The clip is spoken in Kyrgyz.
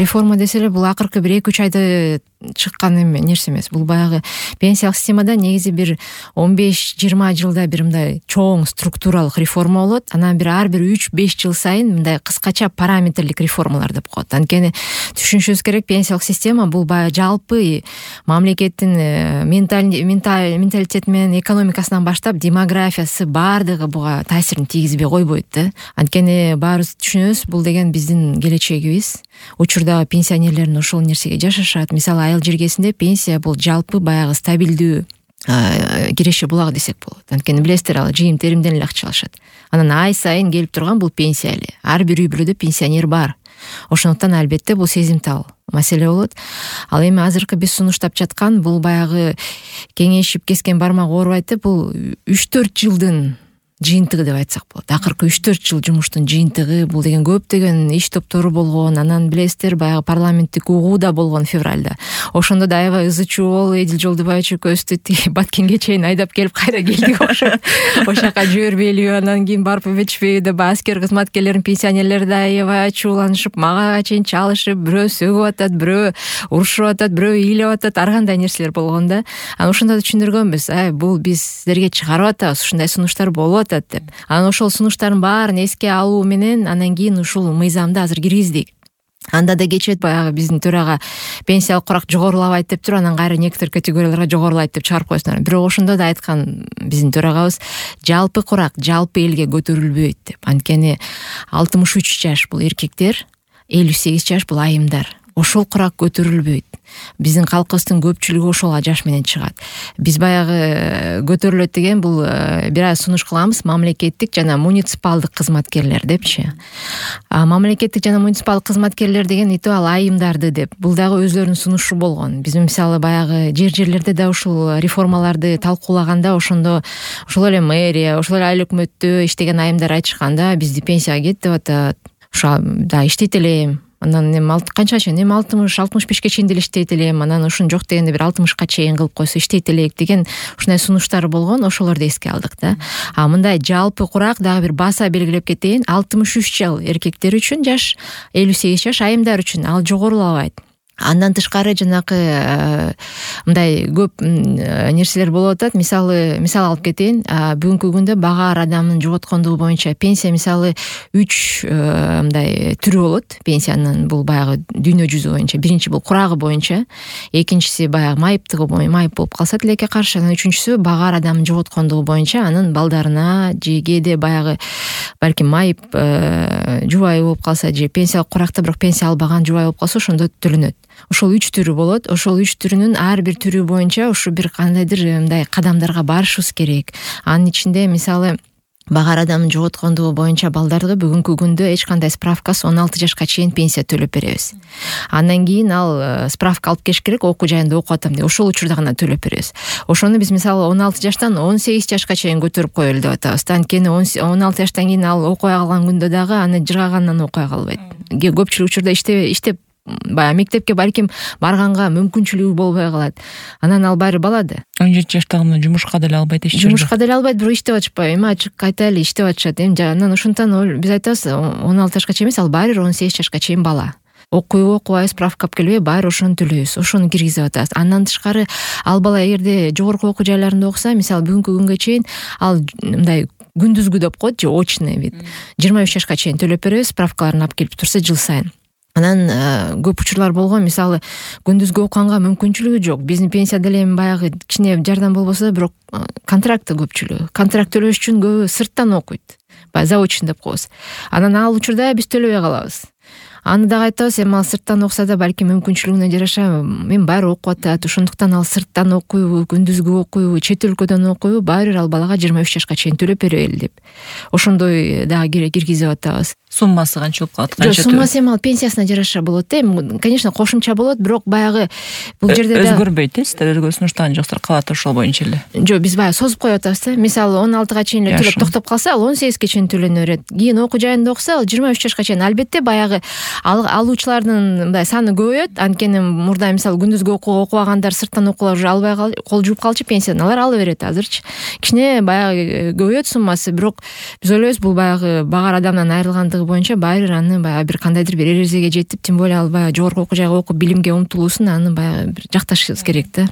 реформа десе эле бул акыркы бир 2-3 айда чыккан нерсе эмес. Бул баягы пенсиялык системада негизи бир 15-20 жылда бир мындай чоң структуралык реформа болот. Анан ар бир 3-5 жыл сайын мындай кыскача параметрлик реформалар деп коет. Анткени түшүнүшүбүз керек, пенсиялык система бул баягы жалпы мамлекеттин менталитети менен экономикасынан баштап демографиясы баардыгы буга таасирин тийгизбей койбойт да. Анткени баарыбыз түшүнөбүз, бул деген биздин келечегибиз. Учурдагы пенсионерлердин ошол нерсеге жашашат. Мисалы айыл жергесинде пенсия бул жалпы баягы стабилдүү киреше булак десек болот. Анткени билесиздер, ал жыйым теримден эле акча алышат. Анан ай сайын келип турган бул пенсия эле. Ар бир үй бүлөдө пенсионер бар. Ошондуктан албетте бул сезимтал маселе болот. Ал эми азыркы биз сунуштап жаткан бул баягы кеңейишип кескен бармак оорубайт деп, бул 3-4 жылдын жыйынтыгы деп айтсак болот. Акыркы 3-4 жыл жумуштун жыйынтыгы. Бул деген көптөгөн иш топтору болгон. Анан билесиздер, баягы парламенттик угуу да болгон февралда. Ошондо да аябай ызы чуу болуп, Эдил Жолдубаевич экөөбүздү тиги Баткенге чейин айдап келип кайра келдик окшойт. Ошол жака жибербейлиби, анан кийин барып өбөтүшпөйбү деп аскер кызматкерлердин пенсионерлери да аябай ачууланышып, мага чейин чалышып, бирөө сөгүп атат, бирөө урушуп атат, бирөө ыйлап атат, ар кандай нерселер болгон да. Анан ошондо да түшүндүргөнбүз, бул биз силерге чыгарып атабыз, ушундай сунуштар болуп атат деп. Анан ошол сунуштардын баарын эске алуу менен анан кийин ушул мыйзамды азыр киргиздик. Анда да кечет баягы биздин төрага пенсиялык курак жогорулабайт деп туруп, анан кайра некоторый категорияларга жогорулайт деп чыгарып койсуңар. Бирок ошондо да айткан биздин төрагабыз, жалпы курак жалпы элге көтөрүлбөйт деп. Анткени 63 жаш бул эркектер, 58 жаш бул айымдар. Ошол курак көтөрүлбөйт. Биздин калкыбыздын көпчүлүгү ошол жаш менен чыгат. Биз баягы көтөрүлөт деген бул бир аз сунуш кылабыз, мамлекеттик жана муниципалдык кызматкерлер депчи. Мамлекеттик жана муниципалдык кызматкерлер деген ал айымдарды деп. Бул дагы өзлөрүнүн сунушу болгон. Биз мисалы баягы жерлерде да ушул реформаларды талкуулаганда ошондо ошол эле мэрия, ошол эле айыл өкмөттө иштеген айымдар айтышканда, бизди пенсияга кет деп атат. Ошо да иштейт элем. Анан канчага чейин 60-65 чейин деле иштейт элем. Анан ушун жок дегенде бир 60 чейин кылып койсо иштейт элек деген ушундай сунуштар болгон. Ошолорду эске алдык да. Мындай жалпы курак дагы бир баса белгилеп кетейин. 63 жыл эркектер үчүн жаш, 58 жаш айымдар үчүн ал жогорулабайт. Андан тышкары жанакы мындай көп нерселер болуп атат. Мисал алып кетейин. Бүгүнкү күндө бага ар адамдын жоготкондугу боюнча пенсия мисалы 3 мындай түрү болот. Пенсиянын бул баягы дүйнө жүзү боюнча. Биринчи бул курагы боюнча, экинчиси баягы майыптыгы боюнча, майып болуп калса тилекке каршы, анан үчүнчүсү бага ар адамдын жоготкондугу боюнча, анын балдарына же кээде баягы балким майып жубайы болуп калса же пенсиялык куракта бирок пенсия албаган жубайы болуп калса ошондо төлөнөт. Ошол 3 түрү болот. Ошол 3 түрүнүн ар бир түрү боюнча ушу бир кандайдыр мындай кадамдарга барышыбыз керек. Анын ичинде мисалы бага ар адамдын жоготкондугу боюнча балдарды бүгүнкү күндө эч кандай справкасы 16 жашка чейин пенсия төлөп беребиз. Андан кийин ал справка алып келиш керек, окуу жайында окуп атам деп. Ошол учурда гана төлөп беребиз. Ошону биз мисалы 16 жаштан 18 жашка чейин көтөрүп коелу деп атабыз. Анткени 16 жаштан кийин ал окуй калган күндө дагы аны жыргагандан окуй калбайт. Көпчүлүк учурда иштеп баягы мектепке балким барганга мүмкүнчүлүгү болбой калат. Анан ал баары бала да. 17 жаштагы жумушка деле албайт, жумушка деле албайт, бирок иштеп атышпайбы? Эми ачык кайта эле иштеп атышат. Анан ошондон биз айтабыз, 16 жашка чейин эмес, ал баары 18 жашка чейин бала. Окуйбу, окубайбы, справка алып келбейби, баары ошону төлөйбүз. Ошону киргизип атабыз. Андан тышкары ал бала эгерде жогорку окуу жайларында окуса, мисалы бүгүнкү күнгө чейин ал мындай күндүзгү деп коет же очный вид 23 жашка чейин төлөп беребиз, справкаларын алып келип турса жыл сайын. Анан көп учурлар болгон, мисалы күндүзгү окуганга мүмкүнчүлүгү жок. Биздин пенсия деле эми баягы кичине жардам болбосо да, бирок контрактты көпчүлүгү. Контракт төлөш үчүн көбү сырттан окуйт. Баягы заочный деп коебуз. Анан ал учурда биз төлөбөй калабыз. Аны дагы айтабыз, эми ал сырттан окуса да балким мүмкүнчүлүгүнө жараша мен баары окуп атат. Ошондуктан ал сырттан окуйбу, күндүзгү окуйбу, чет өлкөдөн окуйбу, баары ал балага 23 жашка чейин төлөп берели деп. Ошондой дагы киргизип атабыз. Суммасы канча болуп калат? Жок, суммасы эми ал пенсиясына жараша болот да. Эми, конечно, кошумча болот, бирок баягы бул жерде да өзгөрбөйт, сиздер өзгөрүү сунуштаган жоксур, калат ошол боюнча эле. Жок, биз баягы созуп коюп атабыз да. Мисалы 16 чейин эле төлөп токтоп калса, ал 18 чейин төлөнө берет. Кийин окуу жайында окуса, ал 23 жашка чейин. Албетте баягы алуучулардын мындай саны көбөйөт. Анткени мурда мисалы күндүзгү окубагандар, сырттан окуулар уже албай кол жууп калчу пенсиядан, алар ала берет азырчы. Кичине баягы көбөйөт суммасы, бирок биз ойлойбуз бул баягы багар адамдан айрылгандыгы боюнча баары бир аны баягы бир кандайдыр бир эрежеге жетип, тем более ал баягы жогорку окуу жайга окуп билимге умтулуусун аны баягы бир жакташыбыз керек да.